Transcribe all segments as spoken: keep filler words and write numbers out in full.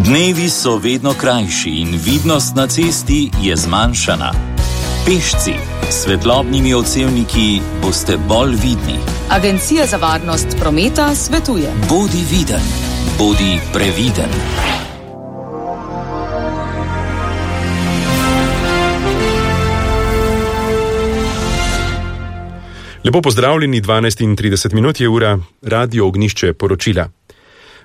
Dnevi so vedno krajši in vidnost na cesti je zmanjšana. Pešci s svetlobnimi odsevniki boste bolj vidni. Agencija za varnost prometa svetuje: bodi viden, bodi previden. Lepo pozdravljeni, dvanajst in trideset minut je ura, Radio Ognjišče poročila.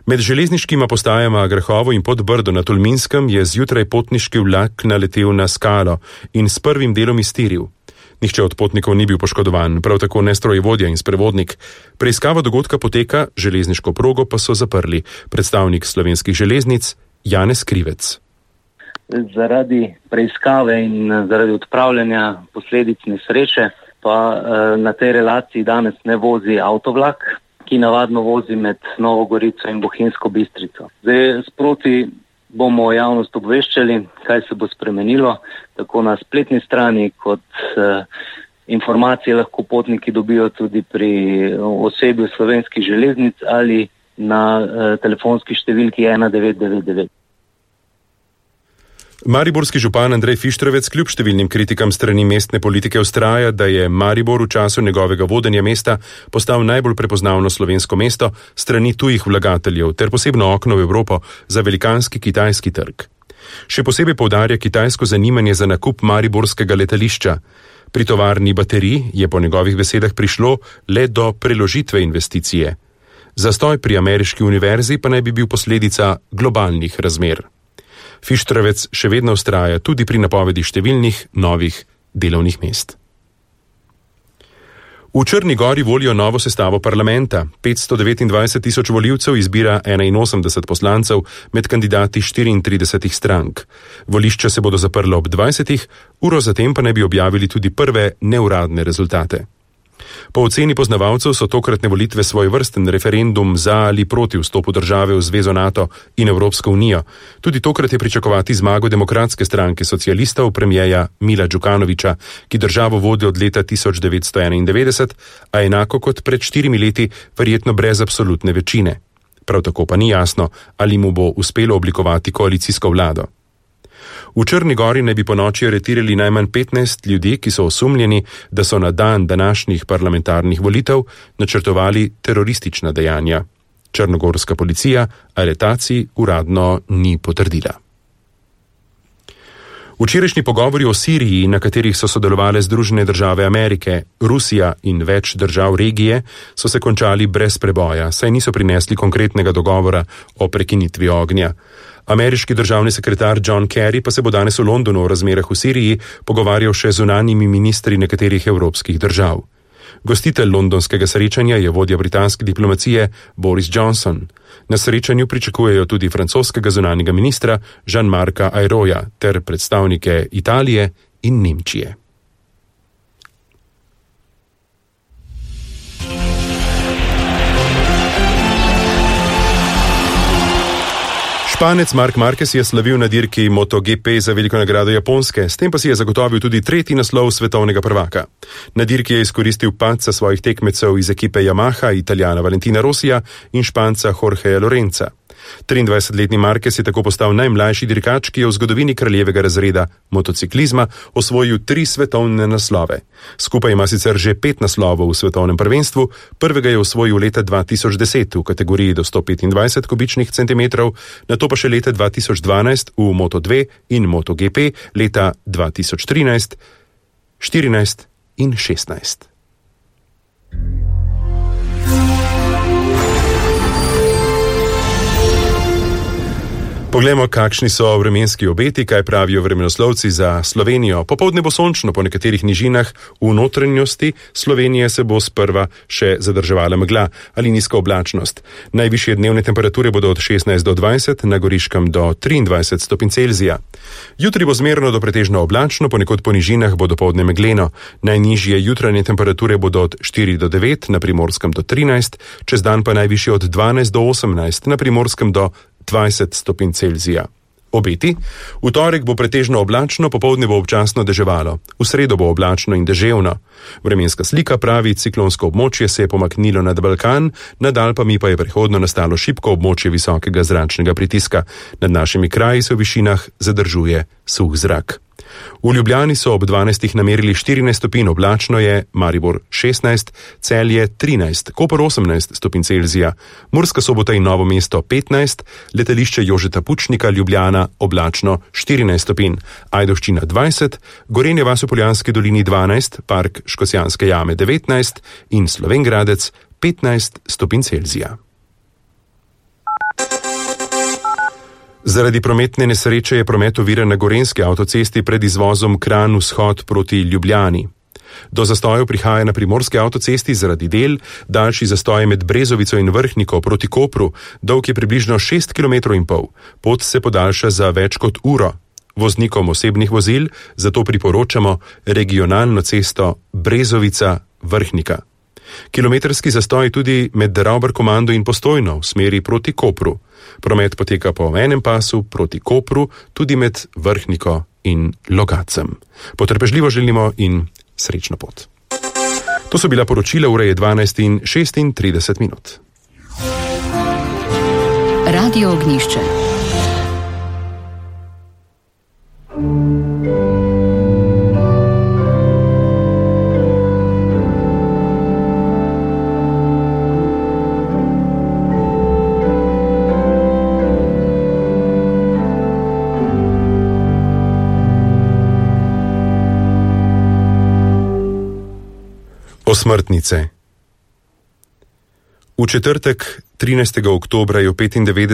Med železniškima postajama Grahovo in Podbrdo na Tolminskem je zjutraj potniški vlak naletel na skalo in s prvim delom iztiril. Nihče od potnikov ni bil poškodovan, prav tako ne strojevodja in sprevodnik. Preiskava dogodka poteka, železniško progo pa so zaprli. Predstavnik Slovenskih železnic Janez Krivec. Zaradi preiskave in zaradi odpravljanja posledic nesreče pa na tej relaciji danes ne vozi avtovlak, ki navadno vozi med Novo Gorico in Bohinjsko Bistrico. Zdaj sproti bomo javnost obveščali, kaj se bo spremenilo, tako na spletni strani kot eh, informacije lahko potniki dobijo tudi pri osebju Slovenskih železnic ali na eh, telefonski številki ena devet devet devet. Mariborski župan Andrej Fištravec kljub številnim kritikam strani mestne politike vztraja, da je Maribor v času njegovega vodenja mesta postal najbolj prepoznavno slovensko mesto strani tujih vlagateljev ter posebno okno v Evropo za velikanski kitajski trg. Še posebej poudarja kitajsko zanimanje za nakup mariborskega letališča. Pri tovarni baterij je po njegovih besedah prišlo le do preložitve investicije. Zastoj pri ameriški univerzi pa naj bi bil posledica globalnih razmer. Fištravec še vedno vztraja tudi pri napovedi številnih novih delovnih mest. V Črni Gori volijo novo sestavo parlamenta. petsto devetindvajset tisoč volivcev izbira enainosemdeset poslancev med kandidati štiriintridesetih strank. Volišča se bodo zaprla ob dvajsetih, uro zatem pa naj bi objavili tudi prve neuradne rezultate. Po oceni poznavalcev so tokratne volitve svojevrsten referendum za ali proti vstopu države v Zvezo NATO in Evropsko unijo. Tudi tokrat je pričakovati zmago demokratske stranke socialistov premijeja Mila Đukanovića, ki državo vodi od leta tisoč devetsto enaindevetdeset, a enako kot pred štirimi leti verjetno brez absolutne večine. Prav tako pa ni jasno, ali mu bo uspelo oblikovati koalicijsko vlado. V Črni Gori naj bi ponoči aretirali najmanj petnajst ljudi, ki so osumljeni, da so na dan današnjih parlamentarnih volitev načrtovali teroristična dejanja. Črnogorska policija aretacij uradno ni potrdila. Včerajšnji pogovori o Siriji, na katerih so sodelovale Združene države Amerike, Rusija in več držav regije, so se končali brez preboja, saj niso prinesli konkretnega dogovora o prekinitvi ognja. Ameriški državni sekretar John Kerry pa se bo danes v Londonu o razmerah v Siriji pogovarjal še z zunanjimi ministri nekaterih evropskih držav. Gostitelj londonskega srečanja je vodja britanske diplomacije Boris Johnson. Na srečanju pričakujejo tudi francoskega zunanjega ministra Jean-Marca Ayraulta ter predstavnike Italije in Nemčije. Španec Marc Marquez je slavil na dirki MotoGP za veliko nagrado Japonske, s tem pa si je zagotovil tudi tretji naslov svetovnega prvaka. Na dirki je izkoristil padca svojih tekmecev iz ekipe Yamaha, Italijana Valentina Rossija in Španca Jorgeja Lorenza. triindvajsetletni Marquez je tako postal najmlajši dirkač, ki je v zgodovini kraljevega razreda motociklizma osvojil tri svetovne naslove. Skupaj ima sicer že pet naslovov v svetovnem prvenstvu, prvega je osvojil leta dva tisoč deset v kategoriji do sto petindvajset kubičnih centimetrov, nato pa še leta dva tisoč dvanajst v Moto dva in MotoGP, leta dva tisoč trinajst, štirinajst in šestnajst. Poglejmo, kakšni so vremenski obeti, kaj pravijo vremenoslovci za Slovenijo. Popoldne bo sončno po nekaterih nižinah, v notranjosti Slovenije se bo sprva še zadrževala megla ali nizka oblačnost. Najvišje dnevne temperature bodo od šestnajst do dvajset, na Goriškem do triindvajset stopinj Celzija. Jutri bo zmerno do pretežno oblačno, ponekod po nižinah bo dopoldne megleno. Najnižje jutranje temperature bodo od štiri do devet, na Primorskem do trinajst, čez dan pa najvišje od dvanajst do osemnajst, na Primorskem do dvajset stopinj Celzija. Obeti: v torek bo pretežno oblačno, popoldne bo občasno deževalo, v sredo bo oblačno in deževno. Vremenska slika pravi, ciklonsko območje se je pomaknilo nad Balkan, nad Alpami pa je prehodno nastalo šibko območje visokega zračnega pritiska. Nad našimi kraji se v višinah zadržuje suh zrak. V Ljubljani so ob dvanajstih namerili štirinajst stopinj, oblačno je, Maribor šestnajst, Celje trinajst, Koper osemnajst stopinj Celzija, Murska Sobota in Novo mesto petnajst, letališče Jožeta Pučnika Ljubljana oblačno štirinajst stopinj, Ajdovščina dvajset, Gorenje vas v Poljanski dolini dvanajst, Park Škocjanske jame devetnajst in Slovenj Gradec petnajst stopinj Celzija. Zaradi prometne nesreče je promet oviran na gorenjski avtocesti pred izvozom Kranj vzhod proti Ljubljani. Do zastojev prihaja na primorski avtocesti zaradi del, daljši zastoj med Brezovico in Vrhniko proti Kopru, dolg je približno šest kilometrov in pol. Pot se podaljša za več kot uro. Voznikom osebnih vozil zato priporočamo regionalno cesto Brezovica-Vrhnika. Kilometrski zastoj tudi med Ravbar-Komando in Postojno v smeri proti Kopru. Promet poteka po enem pasu proti Kopru, tudi med Vrhniko in Logacem. Potrpežljivo želimo in srečno pot. To so bila poročila, ura je dvanajst in šestintrideset minut. Radio Ognjišče. Osmrtnice. V četrtek, trinajstega oktobra, je v petindevetdesetih